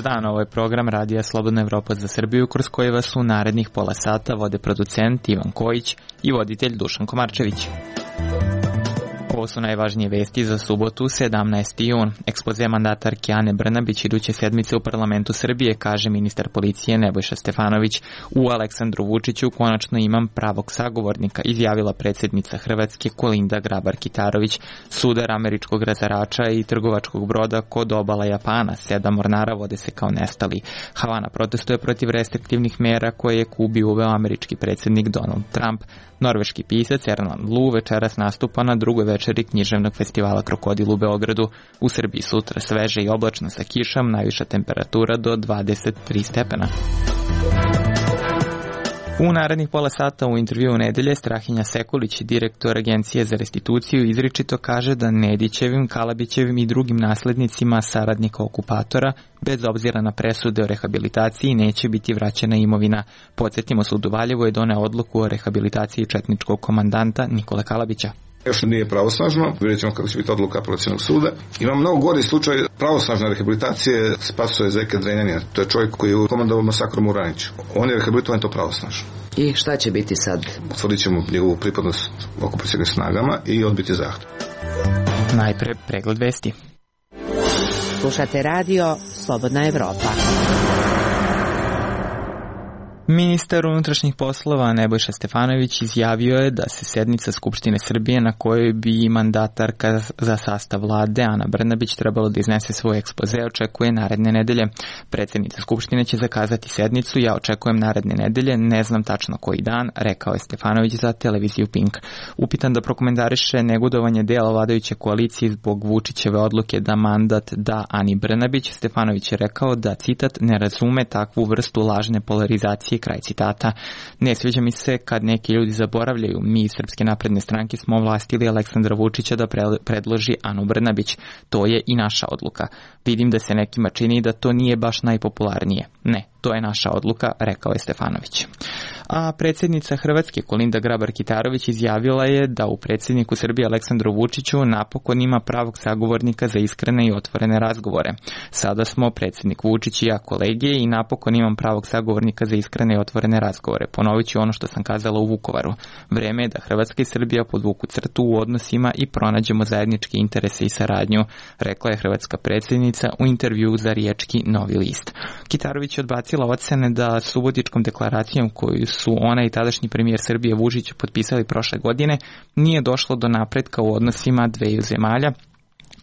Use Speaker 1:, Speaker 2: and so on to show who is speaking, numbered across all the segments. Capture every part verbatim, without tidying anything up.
Speaker 1: dan, ovo je program Radija Slobodna Evropa za Srbiju, kroz koji vas u narednih pola sata vode producent Ivan Kojić i voditelj Dušan Komarčević. Ovo su najvažnije vesti za subotu, sedamnaesti jun. Ekspoze mandatarke Ane Brnabić iduće sedmice u parlamentu Srbije, kaže ministar policije Nebojša Stefanović. U Aleksandru Vučiću konačno imam pravog sagovornika, izjavila predsjednica Hrvatske Kolinda Grabar-Kitarović. Sudar američkog razarača i trgovačkog broda kod obala Japana, sedam mornara vode se kao nestali. Havana protestuje protiv restriktivnih mera koje je Kubi uveo američki predsjednik Donald Trump. Norveški pisac Erland Lu večeras nastupa na drugoj večeri književnog festivala Krokodil u Beogradu. U Srbiji sutra sveže i oblačno sa kišom, najviša temperatura do dvadeset tri stepena. U narednih pola sata u intervjuu nedelje Strahinja Sekulić, direktor Agencije za restituciju, izričito kaže da Nedićevim, Kalabićevim i drugim naslednicima saradnika okupatora, bez obzira na presude o rehabilitaciji, neće biti vraćena imovina. Podsjetimo, sud u Valjevu je doneo odluku o rehabilitaciji četničkog komandanta Nikole Kalabića.
Speaker 2: Još nije pravosnažno, vidjet ćemo kako će biti odluka apelacionog suda. Ima mnogo gori slučaj pravosnažne rehabilitacije Spasoje Zeke Drenjanina. To je čovjek koji je komandovao masakrom u Raniću. On je rehabilitovan to pravosnažno.
Speaker 3: I šta će biti sad?
Speaker 2: Utvrdit ćemo njegovu pripadnost okupacionim snagama i odbiti zahtev.
Speaker 1: Najpre pregled vesti.
Speaker 3: Slušate radio Slobodna Evropa.
Speaker 1: Ministar unutrašnjih poslova Nebojša Stefanović izjavio je da se sednica Skupštine Srbije na kojoj bi mandatarka za sastav vlade Ana Brnabić trebalo da iznese svoj ekspoze očekuje naredne nedelje. Predsjednica Skupštine će zakazati sednicu, ja očekujem naredne nedelje, ne znam tačno koji dan, rekao je Stefanović za televiziju Pink. Upitan da prokomentariše negodovanje dela vladajuće koalicije zbog Vučićeve odluke da mandat da Ani Brnabić, Stefanović je rekao da, citat, ne razume takvu vrstu lažne polarizacije, kraj citata. Ne sviđa mi se kad neki ljudi zaboravljaju. Mi iz Srpske napredne stranke smo ovlastili Aleksandra Vučića da predloži Anu Brnabić. To je i naša odluka. Vidim da se nekima čini da to nije baš najpopularnije. Ne, to je naša odluka, rekao je Stefanović. A predsjednica Hrvatske Kolinda Grabar-Kitarović izjavila je da u predsjedniku Srbije Aleksandru Vučiću napokon ima pravog sagovornika za iskrene i otvorene razgovore. Sada smo predsjednik Vučić i ja kolege i napokon imam pravog sagovornika za iskrene i otvorene razgovore. Ponovit ću ono što sam kazala u Vukovaru. Vreme je da Hrvatska i Srbija podvuku crtu u odnosima i pronađemo zajedničke interese i saradnju, rekla je hrvatska predsjednica u intervjuu za riječki Novi list. Kitarović je odbacila ocene da subotičkom deklaracijom koju su ona i tadašnji premijer Srbije Vučić potpisali prošle godine nije došlo do napretka u odnosima dveju zemalja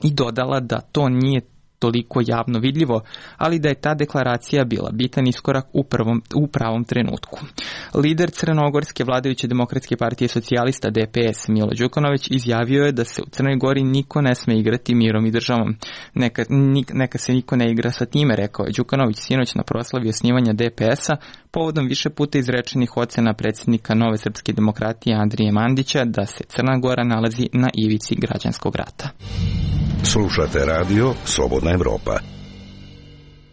Speaker 1: i dodala da to nije toliko javno vidljivo, ali da je ta deklaracija bila bitan iskorak u, prvom, u pravom trenutku. Lider crnogorske vladajuće demokratske partije socijalista D P S Milo Đukanović izjavio je da se u Crnoj Gori niko ne sme igrati mirom i državom. Neka, nik, neka se niko ne igra sa time, rekao je Đukanović sinoć na proslavi osnivanja D P S-a povodom više puta izrečenih ocena predsjednika Nove srpske demokratije Andrije Mandića da se Crna Gora nalazi na ivici građanskog rata.
Speaker 4: Slušate radio Slobodna Evropa.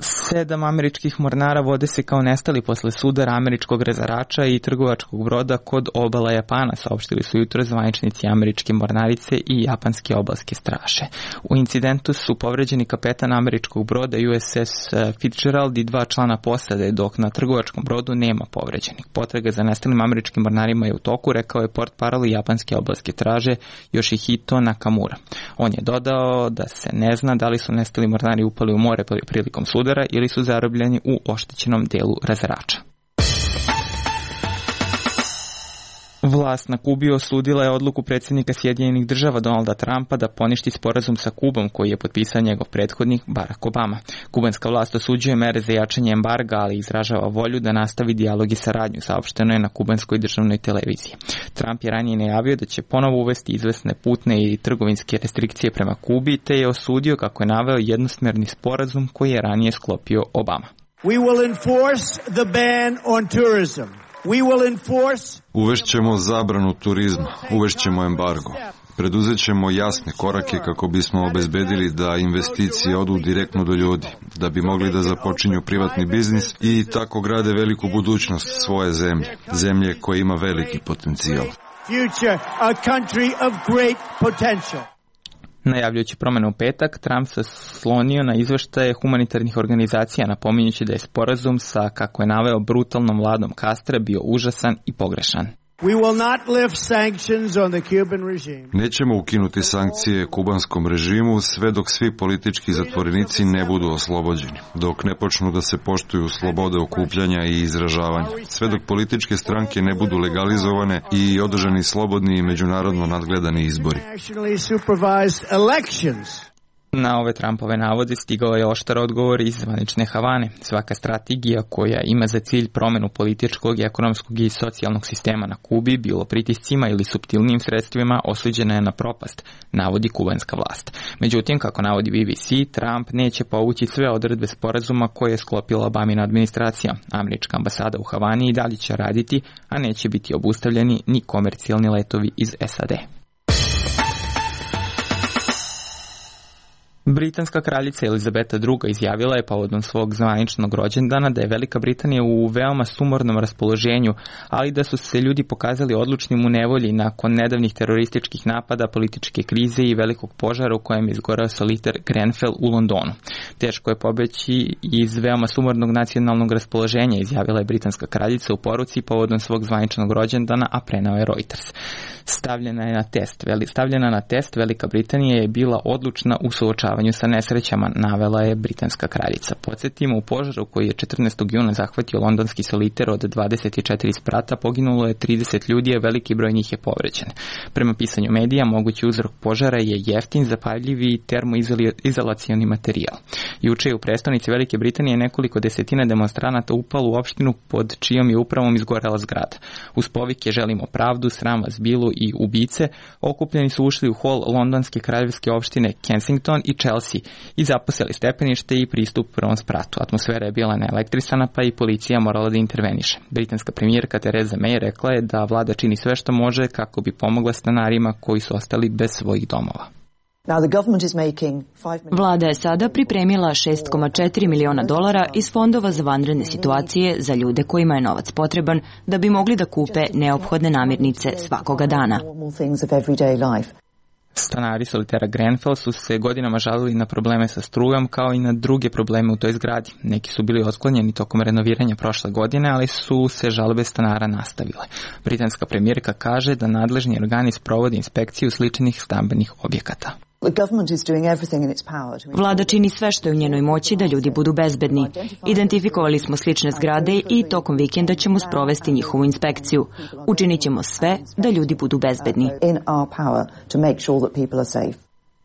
Speaker 1: Sedam američkih mornara vode se kao nestali posle sudara američkog razarača i trgovačkog broda kod obala Japana, saopštili su jutro zvaničnici američke mornarice i japanske obalske straže. U incidentu su povređeni kapetan američkog broda U S S Fitzgerald i dva člana posade, dok na trgovačkom brodu nema povređenih. Potraga za nestalim američkim mornarima je u toku, rekao je portparol japanske obalske straže Yoshihito Nakamura. On je dodao da se ne zna da li su nestali mornari upali u more prilikom sudara ili su zarobljeni u oštećenom delu razarača. Vlast na Kubi osudila je odluku predsjednika Sjedinjenih država Donalda Trumpa da poništi sporazum sa Kubom koji je potpisao njegov prethodnik Barack Obama. Kubanska vlast osuđuje mere za jačanje embarga, ali izražava volju da nastavi dijalog i saradnju, saopšteno je na kubanskoj državnoj televiziji. Trump je ranije najavio da će ponovo uvesti izvesne putne i trgovinske restrikcije prema Kubi, te je osudio, kako je naveo, jednosmerni sporazum koji je ranije sklopio Obama.
Speaker 5: We will enforce the ban on tourism.
Speaker 6: Uvešćemo zabranu turizma, uvešćemo embargo. Preduzet ćemo jasne korake kako bismo obezbedili da investicije odu direktno do ljudi, da bi mogli da započinju privatni biznis i tako grade veliku budućnost svoje zemlje, zemlje koja ima veliki potencijal.
Speaker 1: Najavljujući promjene u petak, Trump se slonio na izveštaje humanitarnih organizacija, napominjući da je sporazum sa, kako je naveo, brutalnom vladom Castra bio užasan i pogrešan.
Speaker 5: We will not lift sanctions on the Cuban regime.
Speaker 6: Nećemo ukinuti sankcije kubanskom režimu sve dok svi politički zatvorenici ne budu oslobođeni, dok ne počnu da se poštuju slobode okupljanja i izražavanja, sve dok političke stranke ne budu legalizovane i održani slobodni i međunarodno nadgledani izbori.
Speaker 5: Nationally supervised elections.
Speaker 1: Na ove Trumpove navode stigao je oštar odgovor iz zvanične Havane. Svaka strategija koja ima za cilj promenu političkog, ekonomskog i socijalnog sistema na Kubi, bilo pritiscima ili suptilnim sredstvima, osuđena je na propast, navodi kubanska vlast. Međutim, kako navodi B B C, Trump neće povući sve odredbe sporazuma koje je sklopila Obamina administracija. Američka ambasada u Havani i dalje će raditi, a neće biti obustavljeni ni komercijalni letovi iz S A D. Britanska kraljica Elizabeta druga izjavila je povodom svog zvaničnog rođendana da je Velika Britanija u veoma sumornom raspoloženju, ali da su se ljudi pokazali odlučnim u nevolji nakon nedavnih terorističkih napada, političke krize i velikog požara u kojem je izgoreo soliter Grenfell u Londonu. Teško je pobeći iz veoma sumornog nacionalnog raspoloženja, izjavila je britanska kraljica u poruci povodom svog zvaničnog rođendana, a preneo je Reuters. Stavljena je na test. Stavljena na test Velika Britanija je bila odlučna u suočavanju sa nesrećama, navela je britanska kraljica. Podsjetimo, u požaru koji je četrnaestog juna zahvatio londonski soliter od dvadeset četiri sprata poginulo je trideset ljudi, a veliki broj njih je povređen. Prema pisanju medija, mogući uzrok požara je jeftin, zapaljivi i termoizolacioni materijal. Juče je u prestonici Velike Britanije nekoliko desetina demonstranata upalo u opštinu pod čijom je upravom izgorela zgrada. Uz povike "Želimo pravdu, sram vas bilo" i "ubice", okupljeni su ušli u hol londonske kraljevske opštine Kensington i Chelsea i zaposeli stepenište i pristup prvom spratu. Atmosfera je bila neelektrisana, pa i policija morala da interveniše. Britanska premijerka Theresa May rekla je da vlada čini sve što može kako bi pomogla stanarima koji su ostali bez svojih domova.
Speaker 7: Vlada je sada pripremila šest zarez četiri miliona dolara iz fondova za vanredne situacije za ljude kojima je novac potreban da bi mogli da kupe neophodne namirnice svakoga dana.
Speaker 1: Stanari solitera Grenfell su se godinama žalili na probleme sa strujom kao i na druge probleme u toj zgradi. Neki su bili otklonjeni tokom renoviranja prošle godine, ali su se žalbe stanara nastavile. Britanska premijerka kaže da nadležni organi sprovode inspekciju sličnih stambenih objekata.
Speaker 7: Vlada čini sve što je u njenoj moći da ljudi budu bezbedni. Identifikovali smo slične zgrade i tokom vikenda ćemo sprovesti njihovu inspekciju. Učinit ćemo sve da ljudi budu bezbedni.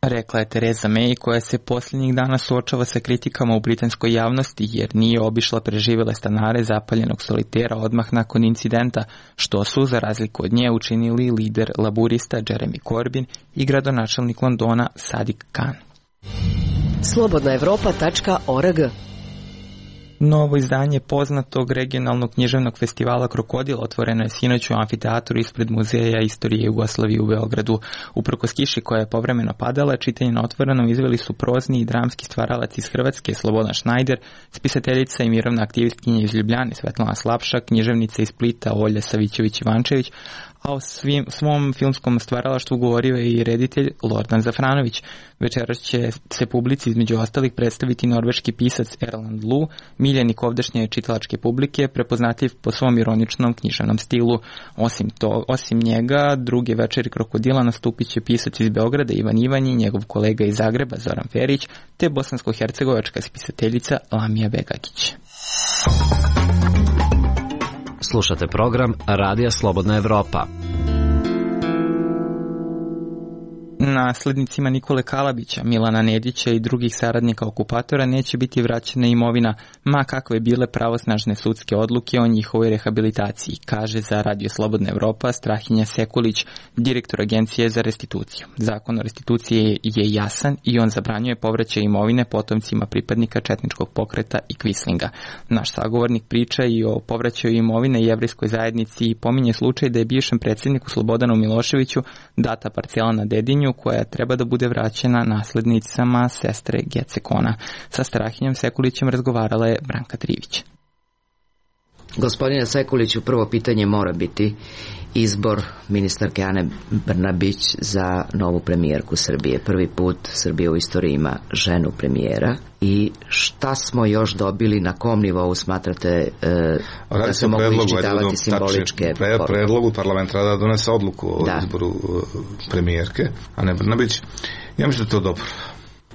Speaker 1: Rekla je Theresa May, koja se posljednjih dana suočava sa kritikama u britanskoj javnosti jer nije obišla preživjele stanare zapaljenog solitera odmah nakon incidenta, što su, za razliku od nje, učinili lider laburista Jeremy Corbyn i gradonačelnik Londona Sadiq Khan.
Speaker 3: slobodna evropa tačka org.
Speaker 1: Novo izdanje poznatog regionalnog književnog festivala Krokodil otvoreno je sinoć u amfiteatru ispred Muzeja istorije Jugoslavije u Beogradu. Uprkos kiši koja je povremeno padala, čitanje na otvorenom izveli su prozni i dramski stvaralac iz Hrvatske Slobodan Šnajder, spisateljica i mirovna aktivistkinja iz Ljubljane Svetlana Slapša, književnica iz Splita Olja Savićević-Ivančević, a o svim, svom filmskom stvaralaštvu govorio je i reditelj Lordan Zafranović. Večeras će se publici između ostalih predstaviti norveški pisac Erland Lu, miljenik ovdašnje čitalačke publike, prepoznatljiv po svom ironičnom književnom stilu. Osim, to, osim njega, druge večeri Krokodila nastupit će pisac iz Beograda Ivan Ivanji, njegov kolega iz Zagreba Zoran Ferić, te bosansko-hercegovačka spisateljica Lamija Begagić.
Speaker 8: Slušate program Radija Slobodna Evropa.
Speaker 1: Naslednicima Nikole Kalabića, Milana Nedića i drugih saradnika okupatora neće biti vraćena imovina, ma kakve bile pravosnažne sudske odluke o njihovoj rehabilitaciji, kaže za Radio Slobodna Evropa Strahinja Sekulić, direktor Agencije za restituciju. Zakon o restituciji je jasan i on zabranjuje povraćaj imovine potomcima pripadnika četničkog pokreta i Kvislinga. Naš sagovornik priča i o povraćaju imovine jevrejskoj zajednici i pominje slučaj da je bivšem predsjedniku Slobodanu Miloševiću data parcela na Dedinju koja treba da bude vraćena naslednicama sestre Gecekona. Sa Strahinjom Sekulićem razgovarala je Branka Trivić.
Speaker 9: Gospodine Sekuliću, prvo pitanje mora biti izbor ministarke Ane Brnabić za novu premijerku Srbije. Prvi put Srbija u istoriji ima ženu premijera. I šta smo još dobili, na kom nivou smatrate e, da se mogu iščitavati simboličke
Speaker 2: pre, predlogu parlament da donese odluku o
Speaker 9: da.
Speaker 2: izboru uh, premijerke Ane Brnabić. Ja mislim da to dobro.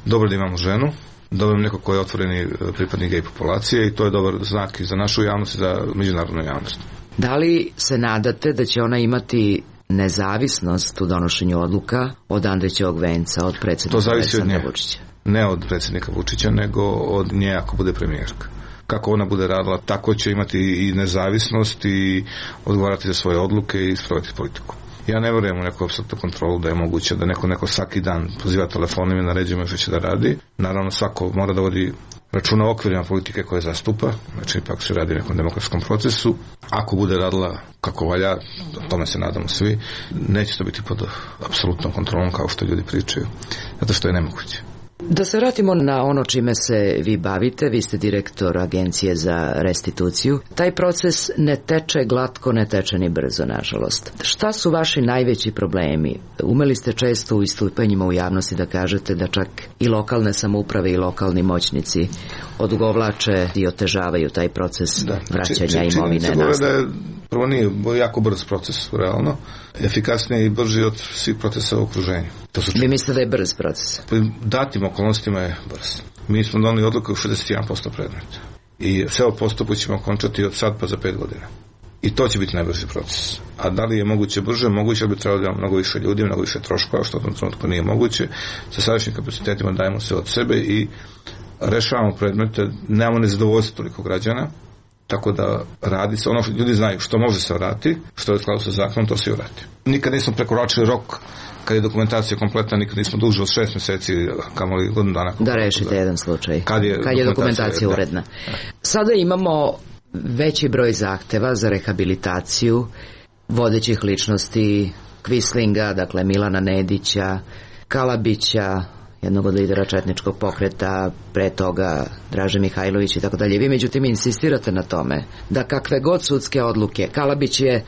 Speaker 2: Dobro da imamo ženu, dobro neko koji je otvoreni pripadnik gej populacije i to je dobar znak i za našu javnost i za međunarodnu javnost.
Speaker 9: Da li se nadate da će ona imati nezavisnost u donošenju odluka od Andrićevog venca, od predsjednika Aleksandra Vučića?
Speaker 2: Ne od predsjednika Vučića, nego od nje ako bude premijerka. Kako ona bude radila, tako će imati i nezavisnost i odgovarati za svoje odluke i sprovoditi politiku. Ja ne vjerujem u neku apsolutnu kontrolu da je moguće da neko, neko svaki dan poziva telefonom i naređuje što će da radi. Naravno, svako mora da vodi računa o okvirima politike koje zastupa, znači ipak se radi o nekom demokratskom procesu. Ako bude radila kako valja, o tome se nadamo svi, neće to biti pod apsolutnom kontrolom kao što ljudi pričaju, zato što je nemoguće.
Speaker 9: Da se vratimo na ono čime se vi bavite, vi ste direktor Agencije za restituciju. Taj proces ne teče glatko, ne teče ni brzo, nažalost. Šta su vaši najveći problemi? Umeli ste često u istupanjima u javnosti da kažete da čak i lokalne samouprave i lokalni moćnici odugovlače i otežavaju taj proces da, vraćanja imovine nasled.
Speaker 2: Prvo nije jako brz proces, realno. Efikasniji i brži od svih procesa u okruženju. To su
Speaker 9: Vi mislite da je brz proces?
Speaker 2: Datim okolnostima je brz. Mi smo doneli odluku u šezdeset jedan posto predmeta. I sve o postupu ćemo končati od sad pa za pet godina. I to će biti najbrži proces. A da li je moguće brže? Moguće, ali bi trebalo da imamo mnogo više ljudi, mnogo više troškova, što u tom trenutku nije moguće. Sa sadašnjim kapacitetima dajemo sve od sebe i rešavamo predmete, nemamo nezadovoljstvo toliko građana, tako da radi se ono što ljudi znaju, što može se vrati, što je u skladu sa zakonom, to se vrati. Nikad nismo prekoračili rok kad je dokumentacija kompletna, nikad nismo duže od šest mjeseci, kamoli godinu dana.
Speaker 9: Da rešite jedan slučaj, kad je, kad je dokumentacija da, uredna. Da. Sada imamo veći broj zahteva za rehabilitaciju vodećih ličnosti, Kvislinga, dakle Milana Nedića, Kalabića, jednog od lidera četničkog pokreta, pre toga Draže Mihajlović i tako dalje. Vi međutim insistirate na tome da kakve god sudske odluke, Kalabić je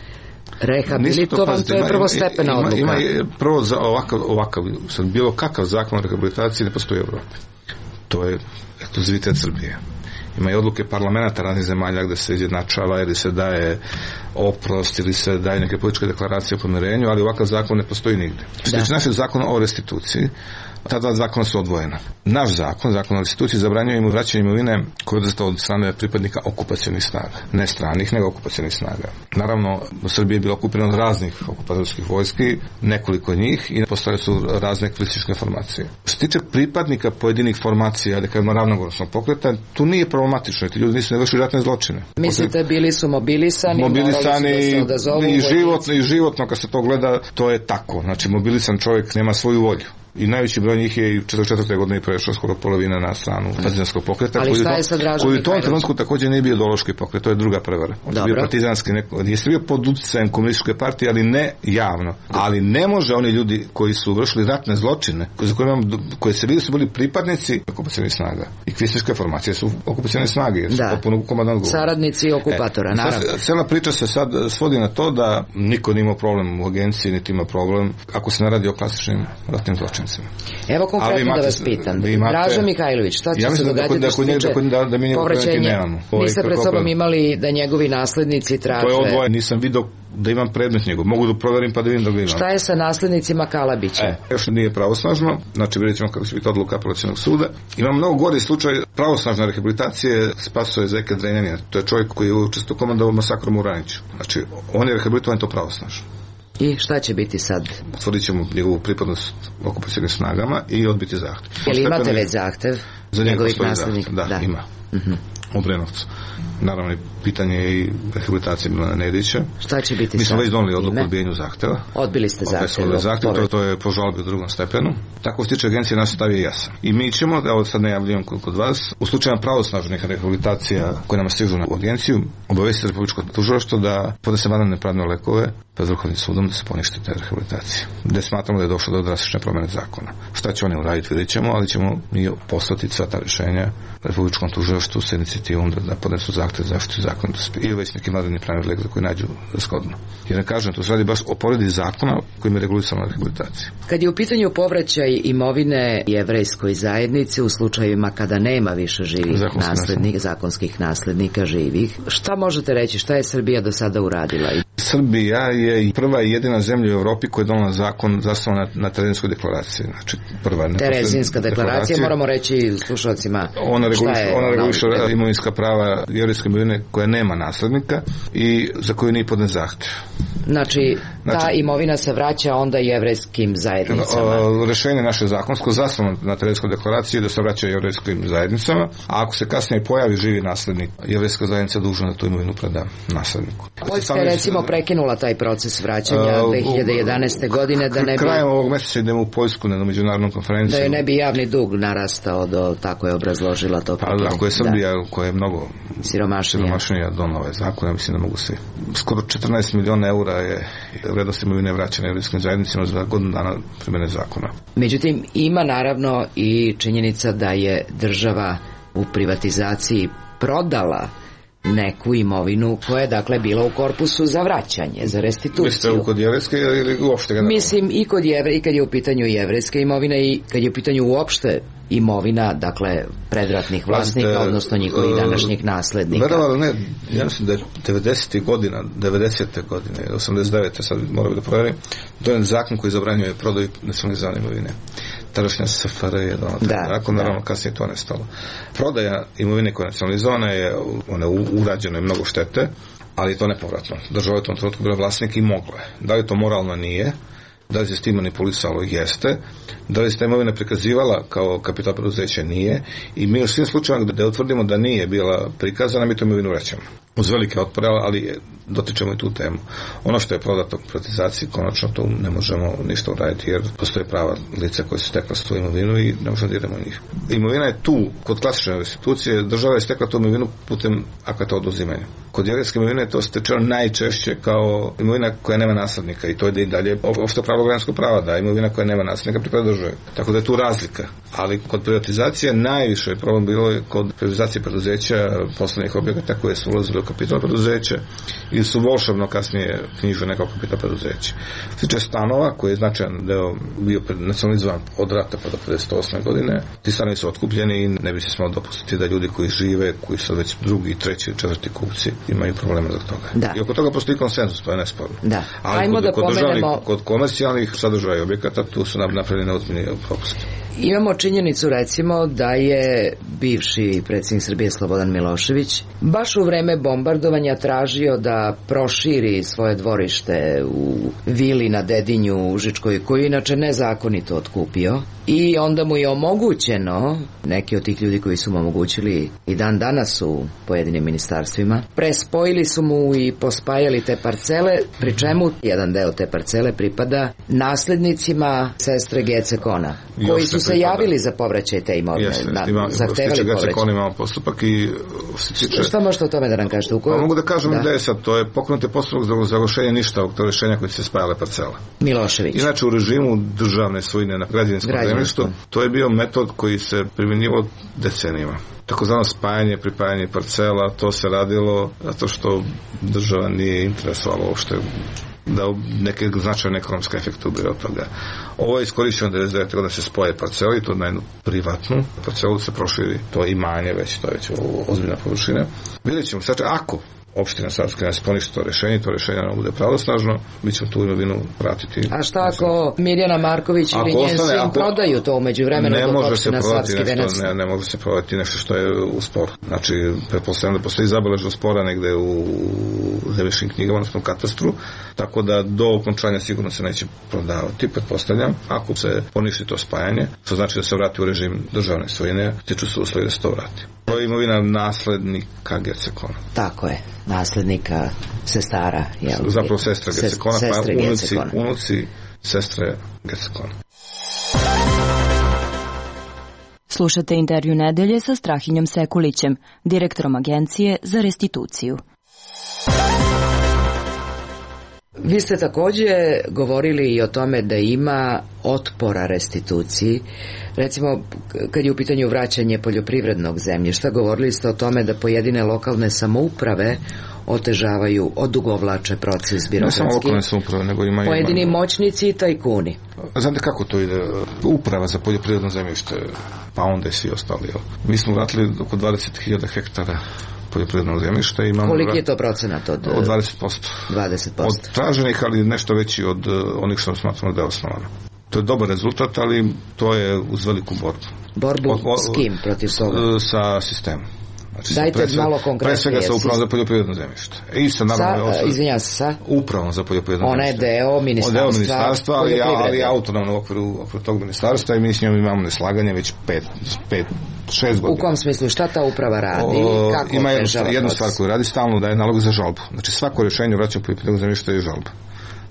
Speaker 9: rehabilitovan, to, to je prvostepena odluka.
Speaker 2: Ima, ima prvo za ovakav, ovakav sad bilo kakav zakon o rehabilitaciji ne postoji u Evropi. To je ekskluzivitet Srbije. Ima i odluke parlamenta raznih zemalja gde se izjednačava ili se daje oprost ili se daje neke političke deklaracije o pomirenju, ali ovakav zakon ne postoji nigde. Što tiče našeg zakona o restituciji, ta dva zakona su odvojena. Naš zakon, zakon o restituciji, zabranjuje im vraćanje imovine koje je oduzeta od strane pripadnika okupacionih snaga. Ne stranih, nego okupacionih snaga. Naravno, u Srbiji je bilo okupirano od raznih okupatorskih vojski, nekoliko njih, i postoje su razne kriminalističke formacije. Što se tiče pripadnika pojedinih formacija, da kažemo ravnogorskog pokreta, tu nije problematično, ti ljudi nisu ne vršili ratne zločine.
Speaker 9: Mislite, bili su mobilisani,
Speaker 2: mobilisani
Speaker 9: morali su da se odazovu
Speaker 2: i životno, i životno kad se to gleda, to je tako. Znači, mobilisan čovjek nema svoju volju. I najveći broj njih je i u četrdeset četvrtoj godini prešao skoro polovina na stranu partizanskog pokreta.
Speaker 9: Ali šta je sa Dražom
Speaker 2: koji u tom trenutku također nije bio ideološki pokret, to je druga prevara. On je bio partizanski, neko, jeste bio pod utjecajem komunističke partije, ali ne javno. Ali ne može oni ljudi koji su vršili ratne zločine, za koje, imam, koje se vidi su bili pripadnici okupacionih snaga. I kvislinške formacije su okupacione snage, jer su potpuno komandant govor.
Speaker 9: Saradnici okupatora,
Speaker 2: e,
Speaker 9: naravno.
Speaker 2: Sad, cijela priča se sad svodi na to da niko nije imao problem u agenciji, niti ima problem ako se ne radi o klasičnim ratnim zločincima.
Speaker 9: Evo konkretno imate, da vas pitam. Imate, Draža Mihajlović, šta će
Speaker 2: ja
Speaker 9: se događati
Speaker 2: da,
Speaker 9: što se tiče
Speaker 2: da, da mi
Speaker 9: povraćenja? Niste pred sobom imali da njegovi naslednici traže...
Speaker 2: To je odvoje, nisam vidio da imam predmet njegov. Mogu da proverim pa da vidim da ga imam.
Speaker 9: Šta je sa naslednicima Kalabića?
Speaker 2: E, još nije pravosnažno, znači vidjet ćemo kako će biti odluka apelacionog suda. Ima mnogo gori slučaj pravosnažne rehabilitacije Spasoje Zeke Drenjanina. To je čovjek koji je učestvovao u komandovao masakrom u Raniću. Znači, on je rehabilitovan to pravosnažno.
Speaker 9: I šta će biti sad?
Speaker 2: Utvrdit ćemo njegovu pripadnost okupacionim snagama i odbiti zahtev.
Speaker 9: Je li imate već zahtev
Speaker 2: za
Speaker 9: njegovih naslednika?
Speaker 2: Da, da, ima. Uh-huh. U Brenovcu. Naravno, pitanje je i rehabilitacije Milana Nedića.
Speaker 9: Šta će biti sad?
Speaker 2: Mi smo već doneli odluku o odbijenju zahteva.
Speaker 9: Odbili ste zahtev.
Speaker 2: zahtev to, to je po žalbi u drugom stepenu. Tako što tiče agencije, naš stav je jasan. I mi ćemo, da ovo sad najavljujem kod vas, u slučaju pravosnažnih rehabilitacija koje nam stižu na agenciju, obavestiti Republičko tužilaštvo da podnese vanredne pravne lekove pred Vrhovnim sudom da se ponište te rehabilitacije. Da smatramo da je došlo do drastične promjene zakona. Šta će oni uraditi, vidjet ćemo, ali ćemo mi poslati sva ta rješenja Republičkom tužilaštvu sa inicijativom da, da podnesu zahtev za zaštitu zakonitosti ili već neki mladeni pravni lijek za koji nađu shodno. Jer ne kažem, to se radi baš o povredi zakona kojim je regulisana rehabilitacija.
Speaker 9: Kad je u pitanju povraćaj imovine jevrejskoj zajednici u slučajevima kada nema više živih
Speaker 2: Zakonski
Speaker 9: naslednika, zakonskih naslednika živih, šta možete reći, šta je Srbija do sada uradila?
Speaker 2: Srbija je prva i jedina zemlja u Evropi koja je donala zakon zasnovan na, na Terezinskoj deklaraciji. Znači, prva
Speaker 9: Terezinska deklaracija, moramo reći slušalcima
Speaker 2: ona reguliš,
Speaker 9: šta je
Speaker 2: ona reguliše imovinska prava jevrejske imovine koja nema naslednika i za koju nije podnet zahtev.
Speaker 9: Znači, ta znači, imovina se vraća onda jevrejskim zajednicama.
Speaker 2: Rešenje naše zakonsko zasnovano na Terezinskoj deklaraciji je da se vraća jevrejskim zajednicama, a ako se kasnije pojavi živi naslednik, jevrejska zajednica je dužna da tu imovinu preda nasledniku.
Speaker 9: Poljska je recimo prekinula taj proces vraćanja dve hiljade jedanaeste. godine da ne bi...
Speaker 2: Krajem ovog mjeseca idemo u Poljsku na međunarodnu konferenciju.
Speaker 9: Da je ne bi javni dug narastao do, tako je obrazložila to.
Speaker 2: Pa ako je Srbija da. koja je mnogo
Speaker 9: siromašnija,
Speaker 2: siromašnija donala ovaj zakon, ja mislim da mogu se... Skoro četrnaest miliona eura je vrednost imovine vraćane jevrejskim zajednicama za godinu dana primjene zakona.
Speaker 9: Međutim, ima naravno i činjenica da je država u privatizaciji prodala neku imovinu koja je dakle bila u korpusu za vraćanje, za restituciju.
Speaker 2: Mislite u kod jevrejske ili uopšte? Generalno?
Speaker 9: Mislim i kod jevre, i kad je u pitanju jevrejska imovina i kad je u pitanju uopšte imovina, dakle, predratnih vlasnika, Pazite, odnosno njihovih današnjih naslednika.
Speaker 2: Verovali ne, ja mislim da je devedesetih godina, devedesete godine, osamdeset devete sad moram da provjerim, dojen zakon koji zabranjuje prodaju nacionalizovane imovine. Tadašnja S F R je donala taj zakon, naravno kasnije to nestalo. Prodaja imovine koja je nacionalizovana je, ona je urađena i mnogo štete, ali je to nepovratno. Država je u tom trenutku bila vlasnik i mogla je. Da li to moralno nije? Da li se s tim manipulisalo? Jeste. Da li se ta imovina prikazivala kao kapital preduzeća? Nije. I mi u svim slučajima da utvrdimo da nije bila prikazana, mi tu imovinu vraćamo. Uz velike otpore, ali dotičemo i tu temu. Ono što je prodato u privatizaciji, konačno to ne možemo ništa uraditi, jer postoje prava lica koje su stekla s tu imovinu i ne možemo diramo njih. Imovina je tu, kod klasične restitucije, država je stekla tu imovinu putem akata oduzimanja. Kod jevrejske imovine to stečeno najčešće kao imovina koja nema naslednika i to je i dalje opšte pravo građanskog prava, da imovina koja nema naslednika pripada državi. Tako da je tu razlika. Ali kod privatizacije najviše problem bilo je kod privatizacije preduzeća, poslovnih objekata koje su ulazili u kapital preduzeća ili su volšebno kasnije knjižili nekao kapital preduzeća. Sliče stanova koji je značajan deo bio nacionalizovan od rata pa do pedeset osme godine, ti stanovi su otkupljeni i ne bi se smelo dopustiti da ljudi koji žive, koji su već drugi, treći, četvrti kupci imaju problema zbog toga.
Speaker 9: Da.
Speaker 2: I oko toga postoji konsenzus, to je nesporno.
Speaker 9: Da.
Speaker 2: Ali
Speaker 9: Ajmo
Speaker 2: kod,
Speaker 9: da
Speaker 2: kod,
Speaker 9: pomenemo...
Speaker 2: kod komercijalnih sadržaja objekata tu su napravljene ozbiljni propusti.
Speaker 9: Imamo činjenicu recimo da je bivši predsjednik Srbije Slobodan Milošević baš u vreme bombardovanja tražio da proširi svoje dvorište u vili na Dedinju u Užičkoj, koju inače nezakonito otkupio, i onda mu je omogućeno, neki od tih ljudi koji su mu omogućili i dan danas u pojedinim ministarstvima, prespojili su mu i pospajali te parcele, pri čemu jedan deo te parcele pripada naslednicima sestre Gece Kona, koji su se javili za povraćaj te imovine.
Speaker 2: Jeste,
Speaker 9: na,
Speaker 2: ima,
Speaker 9: zahtevali povraćaj.
Speaker 2: Kona imamo postupak i
Speaker 9: Tiče... Šta možete o tome da nam kažete? U kojoj...
Speaker 2: Pa mogu da kažem da. da je sad, to je pokrenuti postupak za završenje ništa od rješenja koji se spajale parcela.
Speaker 9: Milošević.
Speaker 2: Inače u režimu državne svojine na građevinskom zemljištu, to je bio metod koji se primjenjivao decenijama. Takozvano spajanje, pripajanje parcela, to se radilo zato što država nije interesovalo uopšte da neke značajne ekonomske efekte ubire od toga. Ovo je iskorišćeno devedeset devete godine da se spoje parcele i to na jednu privatnu parcelu se proširi, to imanje već, to je već ozbiljna površina. Vidjet ćemo, sad ako opština Savska ne poništi to rješenje, to rješenje ne bude pravosnažno, mi ćemo tu imovinu vratiti.
Speaker 9: A šta ako Mirjana Marković ili njen sin ako... prodaju to umeđu vremenu dok opština Savski Venac?
Speaker 2: Ne, ne može se prodati nešto što je u sporu. Znači, pretpostavljam da postoji zabeležno spora negde u zemljišnim knjigama, odnosno u katastru, tako da do okončanja sigurno se neće prodavati, pretpostavljam. Ako se poništi to spajanje, to znači da se vrati u režim državne svojine, tiču se uslovi da se to vrati. To je imovina naslednika Gece Kona.
Speaker 9: Tako je, naslednika sestara. Jel?
Speaker 2: Zapravo sestra Gece Kona, pa unuci, unuci sestre Gece Kona.
Speaker 7: Slušate intervju nedelje sa Strahinjom Sekulićem, direktorom Agencije za restituciju.
Speaker 9: Vi ste takođe govorili i o tome da ima otpora restituciji. Recimo, kad je u pitanju vraćanje poljoprivrednog zemljišta, govorili ste o tome da pojedine lokalne samouprave otežavaju, odugovlače proces birokratski.
Speaker 2: Ne samo lokalne samouprave, nego ima...
Speaker 9: Pojedini ima... moćnici i tajkuni.
Speaker 2: Znate kako to ide? Uprava za poljoprivredno zemljište, pa onda i svi ostali. Mi smo vratili oko dvadeset hiljada hektara poljoprivrednog zemljišta. Imamo
Speaker 9: koliki je to procenat od...
Speaker 2: Od dvadeset posto.
Speaker 9: dvadeset posto.
Speaker 2: Od traženih, ali nešto veći od onih što smatramo da je osnovano. To je dobar rezultat, ali to je uz veliku borbu.
Speaker 9: Borbu od, od, s kim protiv toga?
Speaker 2: Sa sistemom. Znači,
Speaker 9: dajte
Speaker 2: pre sve,
Speaker 9: malo konkretnije.
Speaker 2: Pre svega sa upravom za poljoprivredno zemljište. I sa, naravno,
Speaker 9: sa, izvinjam se, sa?
Speaker 2: Upravom za poljoprivredno
Speaker 9: Ona
Speaker 2: zemljište.
Speaker 9: Ona je deo ministarstva,
Speaker 2: deo ministarstva ali, ali autonomno u okviru, okviru tog ministarstva i mi s njom imamo neslaganje već pet, pet, šest godina.
Speaker 9: U kom smislu? Šta ta uprava radi?
Speaker 2: O,
Speaker 9: kako
Speaker 2: ima jednu, jednu stvar koju radi stalno, daje nalog za žalbu. Znači svako rješenje vraćanja poljoprivrednog zemljišta je žalba.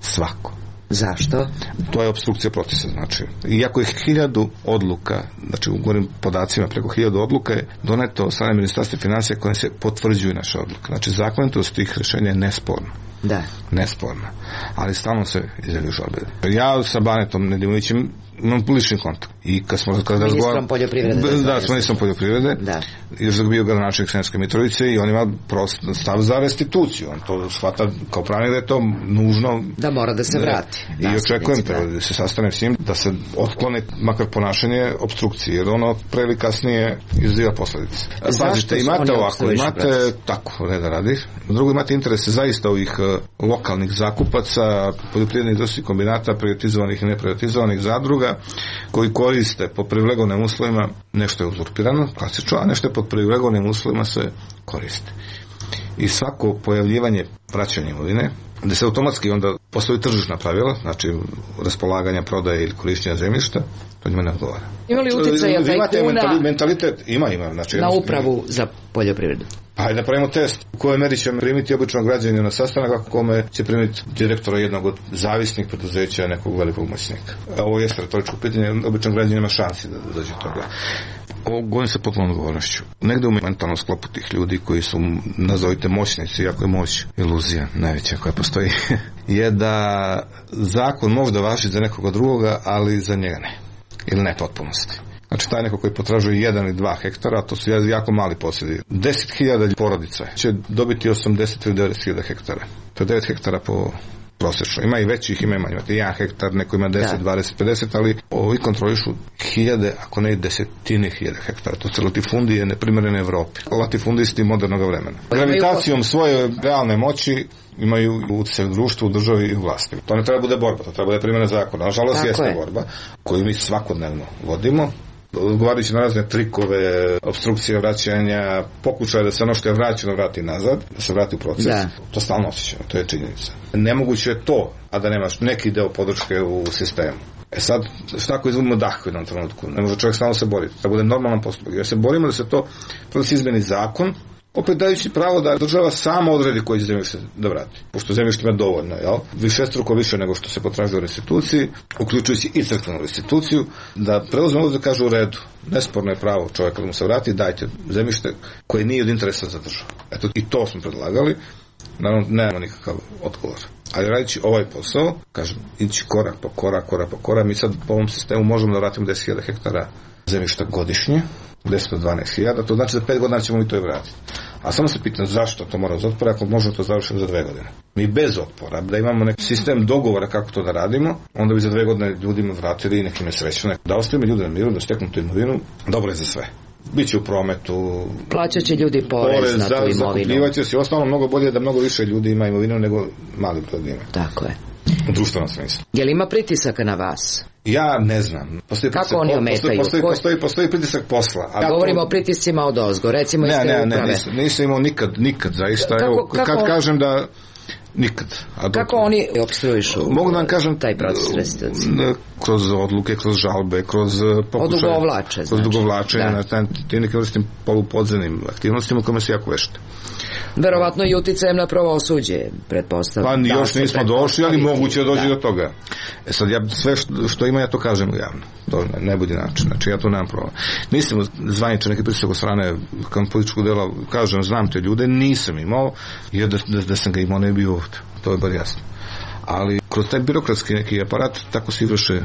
Speaker 2: Svako.
Speaker 9: Zašto?
Speaker 2: To je opstrukcija procesa, znači. Iako je hiljadu odluka, znači u govorim podacima, preko hiljadu odluka je doneto od strane Ministarstva financija koje se potvrđuju naše odluke. Znači zakonitost tih rješenja je nesporna.
Speaker 9: Da.
Speaker 2: Nesporna. Ali stalno se izjavljuju žalbe. Ja sa Banetom Nedimovićem imam lični kontakt. I kad smo kada
Speaker 9: ministrom poljoprivrede.
Speaker 2: Da, s ministrom poljoprivrede.
Speaker 9: Da.
Speaker 2: Još dok bio gradonačelnik Sremske Mitrovice i on ima prost stav za restituciju. On to shvata kao pravnik da je to nužno.
Speaker 9: Da mora da se vrati.
Speaker 2: I očekujem da. da se sastane s njim, da se otklone makar ponašanje opstrukcije, jer ono pre ili kasnije izaziva posledice. Pazite, imate ovako, imate tako, reda radi. Drugo, imate interese zaista ovih uh, lokalnih zakupaca, poljoprivrednih industrijskih kombinata, privatizovanih i neprivatizovanih zadruga, koji koriste po privilegovanim uslovima, nešto je uzurpirano, klasično, a nešto je pod privilegovanim uslovima se koriste. I svako pojavljivanje vraćanja imovine, gde se automatski onda postoji tržišna pravila, znači raspolaganja, prodaje ili korišćenja zemljišta, to njima ne odgovara.
Speaker 9: Ima li uticaja tajkuna
Speaker 2: mentalitet? Ima, ima. Znači,
Speaker 9: na upravu za poljoprivredu?
Speaker 2: Pa hajde da pravimo test. U kojoj meri će primiti običnog građanina na sastanak, kako kome će primiti direktora jednog od zavisnih preduzeća nekog velikog moćnika. Ovo je retoričko pitanje, običnog građanina ima šansi da dođe toga. Ovo govorim sa potpunom odgovornošću. Negde u mentalnom sklopu tih ljudi koji su, nazovite, moćnici, iako je moć iluzija najveća koja postoji, je da zakon možda važi za nekoga drugoga, ali za njega ne. Ili ne potpunosti. Znači taj neko koji potražuje jedan ili dva hektara, to su jako mali posjedi. deset hiljada porodica će dobiti osamdeset ili devedeset hiljada hektara. To je devet hektara po prosečno. Ima i većih, ima i manje. Imate jedan hektar, neko ima deset, dvadeset, pedeset, ali ovi kontrolišu hiljade, ako ne desetine hiljada hektara. To su latifundije neprimjerene Evropi. Latifundisti modernog vremena. Gravitacijom svoje realne moći imaju utjecaj u društvu, u državi i u vlasti. To ne treba bude borba, to treba bude primjena zakona. Nažalost, jeste je. borba koju mi svakodnevno vodimo. Odgovarajući na razne trikove, obstrukcije vraćanja, pokušaje da se ono što je vraćeno vrati nazad, da se vrati u proces, da. To stalno osjećamo, to je činjenica. Nemoguće je to, a da nemaš neki deo podrške u sistemu. E sad, šta ako izgubimo dah u jednom trenutku? Ne može čovjek stalno se boriti. Da bude normalan postupak. Jer se borimo da se to, da se izmeni zakon, opet dajući pravo da država sama odredi koji će zemljište da vrati. Pošto zemljište ima dovoljno, jel? Višestruko više nego što se potražuje u restituciji, uključujući i crkvenu restituciju, da preuzme da kažu u redu. Nesporno je pravo čovjeka da mu se vrati, dajte zemljište koje nije od interesa za državu. Eto, i to smo predlagali. Naravno, nemamo nikakav odgovor. Ali radići ovaj posao, kažem, ići korak po korak, korak po korak, mi sad po ovom sistemu možemo da vratimo deset hiljada hektara zemljišta godišnje, deset do dvanaest hiljada, to znači za pet godina ćemo i to i vratiti. A samo se pitam zašto to mora uz otpora, ako možemo to završiti za dve godine. Mi bez otpora, da imamo neki sistem dogovora kako to da radimo, onda bi za dve godine ljudima vratili i nekim je srećno. Da ostavimo ljude na miru, da steknu tu imovinu, dobro je za sve. Biće u prometu.
Speaker 9: Plaćat će ljudi porez, porez na tu imovinu.
Speaker 2: Zakupljivaće se. Ostalo mnogo bolje da mnogo više ljudi ima imovinu nego mali broj ima.
Speaker 9: Tako je.
Speaker 2: U društvenom smislu.
Speaker 9: Je li ima pritisaka na vas?
Speaker 2: Ja ne znam. Postoji
Speaker 9: kako oni ometaju?
Speaker 2: Postoji, postoji, postoji pritisak posla.
Speaker 9: Ja govorimo o pritiscima od ozgo, recimo iz te uprave.
Speaker 2: Ne, ne, nisam, nisam imao nikad, nikad zaista.
Speaker 9: Kako,
Speaker 2: Evo,
Speaker 9: kako,
Speaker 2: kad kažem da nikad. A
Speaker 9: kako dok, oni opstruišu
Speaker 2: mogu da vam kažem
Speaker 9: taj proces restitucije?
Speaker 2: Kroz odluke, kroz žalbe, kroz pokušaje.
Speaker 9: Odugovlače, znači.
Speaker 2: Kroz dugovlačenje, da. Na tim nekim vrstim polupodzenim aktivnostima kojima se jako vešte.
Speaker 9: Verovatno i uticajem na pravosuđe, pretpostavljam.
Speaker 2: Pa da, još nismo došli, ali moguće dođe da. do toga. E sad, ja sve što, što ima, ja to kažem javno. To ne, ne bude način. Znači, ja to nemam problem. Nisam zvaničan neki pritisak od strane kao političkog dela, kažem, znam te ljude, nisam imao, jer da, da, da sam ga imao, ne bi ovdje. To je bar jasno. ali kroz taj birokratski neki aparat tako se izvrše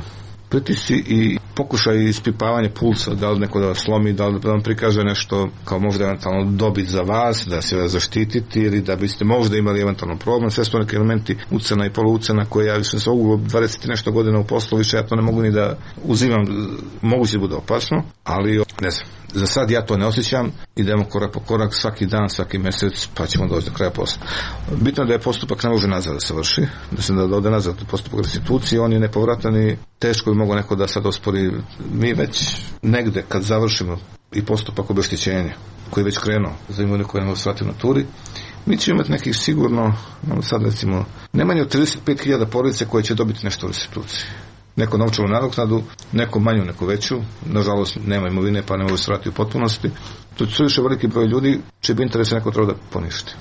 Speaker 2: pritisci i pokušaj ispipavanja pulsa, da li neko da vas slomi, da li da vam prikaže nešto kao možda eventualno dobit za vas, da se vas zaštititi ili da biste možda imali eventualno problem. Sve su neki elementi ucena i polucena koje ja više sa ovu dvadeset nešto godina u poslu, više ja to ne mogu ni da uzimam, moguće bude opasno, ali ne znam. Za sad ja to ne osjećam, idemo korak po korak, svaki dan, svaki mjesec, pa ćemo doći do kraja posla. Bitno je da je postupak ne može nazad da se vrši, da se da ode nazad postupak restitucije, on je nepovratan i teško bi mogao neko da sad ospori. Mi već negde kad završimo i postupak obeštećenja, koji je već krenuo za imovinu koja ne može svati u naturi, mi ćemo imati nekih sigurno, sad recimo, ne manje od trideset pet hiljada porodice koje će dobiti nešto u restituciji. Neko novčanu nadoknadu, neko manju, neko veću. Nažalost, nema imovine, pa ne mogu se vratiti u potpunosti. To je više veliki broj ljudi čiji bi interes neko treba da poništi.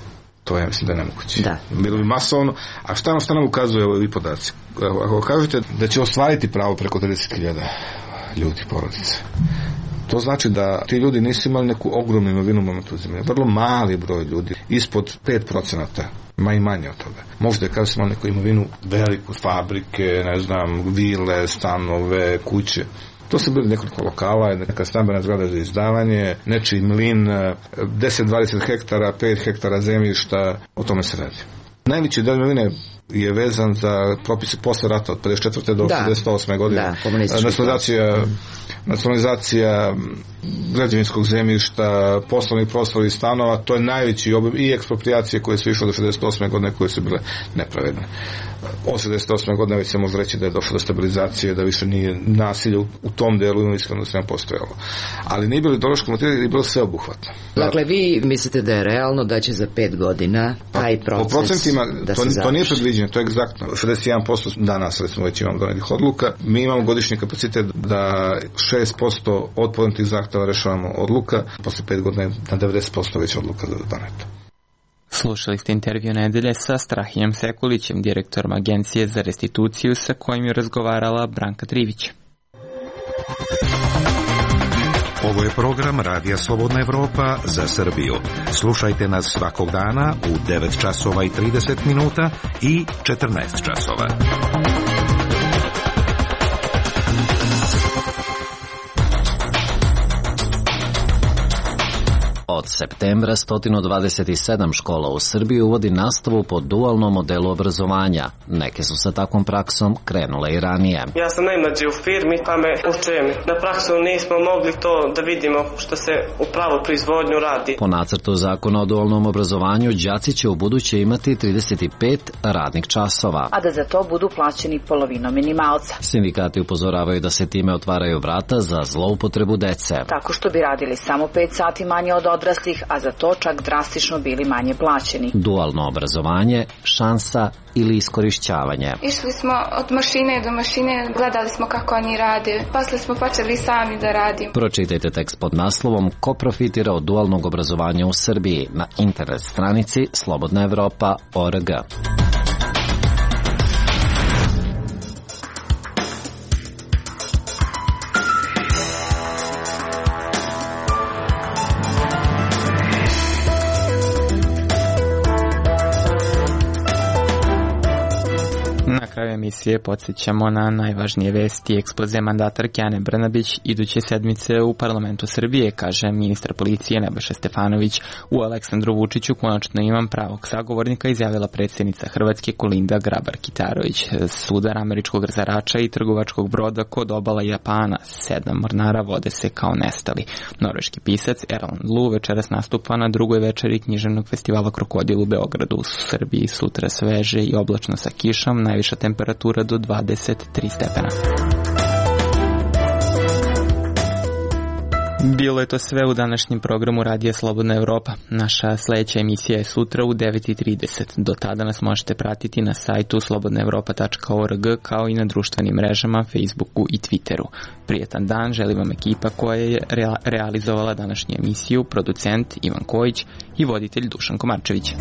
Speaker 2: To ja mislim da je nemoguće.
Speaker 9: Da.
Speaker 2: Bilo bi masovno. A šta nam, šta nam ukazuje ovi podaci? Ako kažete da će ostvariti pravo preko trideset hiljada ljudi, porodice, to znači da ti ljudi nisu imali neku ogromnu imovinu u momentu uzimanja. Vrlo mali broj ljudi, ispod pet procenata, ma i manje od toga. Možda je kada su imali neku imovinu veliku, fabrike, ne znam, vile, stanove, kuće. To su bili nekoliko lokala, neka stambena zgrada za izdavanje, nečiji mlin, deset do dvadeset hektara, pet hektara zemljišta, o tome se radi. Najveći del imovine je vezan za propise posle rata od pedeset četvrte do šezdeset osme godine.
Speaker 9: Da,
Speaker 2: nacionalizacija, nacionalizacija građevinskog zemljišta, poslovnih prostora i stanova, to je najveći obim i ekspropriacije koje su išle do šezdeset osme godine koje su bile nepravedne. Od šezdeset osme godine već se može reći da je došlo do stabilizacije, da više nije nasilje u, u tom delu imovinskog da se ne postojalo. Ali nije bilo ideološko motivirano, nije bilo sveobuhvatno.
Speaker 9: Dakle, vi mislite da je realno da će za pet godina taj proces
Speaker 2: po procentima,
Speaker 9: da
Speaker 2: to,
Speaker 9: se
Speaker 2: to nije predviđeno, to je egzaktno. šezdeset jedan posto danas, recimo, već imamo donetih odluka. Mi imamo godišnji kapacitet da šest posto od podnetih zahteva rešavamo odluka, posle pet godina na devedeset posto već odluka za doneto.
Speaker 1: Slušali ste intervju nedelje sa Strahinjom Sekulićem, direktorom Agencije za restituciju, sa kojim je razgovarala Branka Trivić.
Speaker 4: Ovo je program Radija Slobodna Evropa za Srbiju. Slušajte nas svakog dana u devet časova i trideset minuta i četrnaest časova.
Speaker 8: Od septembra sto dvadeset sedam škola u Srbiji uvodi nastavu po dualnom modelu obrazovanja. Neke su sa takvom praksom krenule i ranije.
Speaker 10: Ja sam najmlađi u firmi, pa me učem. Na praksu nismo mogli to da vidimo što se u pravu proizvodnju radi.
Speaker 8: Po nacrtu zakona o dualnom obrazovanju, đaci će u buduće imati trideset pet radnih časova,
Speaker 11: a da za to budu plaćeni polovinom minimalca.
Speaker 8: Sindikati upozoravaju da se time otvaraju vrata za zloupotrebu dece.
Speaker 11: Tako što bi radili samo pet sati manje od odraslih, a za to čak drastično bili manje plaćeni.
Speaker 8: Dualno obrazovanje, šansa ili iskorišćavanje.
Speaker 12: Išli smo od mašine do mašine, gledali smo kako oni rade, posle smo počeli sami da radimo.
Speaker 8: Pročitajte tekst pod naslovom Ko profitira od dualnog obrazovanja u Srbiji na internet stranici slobodna evropa tačka org.
Speaker 1: Na kraju emisije podsjećamo na najvažnije vesti. Ekspoze mandatarke Ane Brnabić iduće sedmice u parlamentu Srbije, kaže ministar policije Nebojša Stefanović. U Aleksandru Vučiću konačno imam pravog sagovornika, izjavila predsjednica Hrvatske Kolinda Grabar-Kitarović. Sudar američkog razarača i trgovačkog broda kod obala Japana, sedam mornara vode se kao nestali. Norveški pisac Erland Lu večeras nastupa na drugoj večeri književnog festivala Krokodil u Beogradu. U Srbiji sutra sveže i oblačno sa kišom, najviša temperatura do dvadeset tri stepena. Bilo je to sve u današnjem programu Radija Slobodna Evropa. Naša sljedeća emisija je sutra u devet i trideset. Do tada nas možete pratiti na sajtu slobodna evropa tačka org kao i na društvenim mrežama, Facebooku i Twitteru. Prijetan dan želim vam ekipa koja je rea- realizovala današnju emisiju, producent Ivan Kojić i voditelj Dušan Komarčević.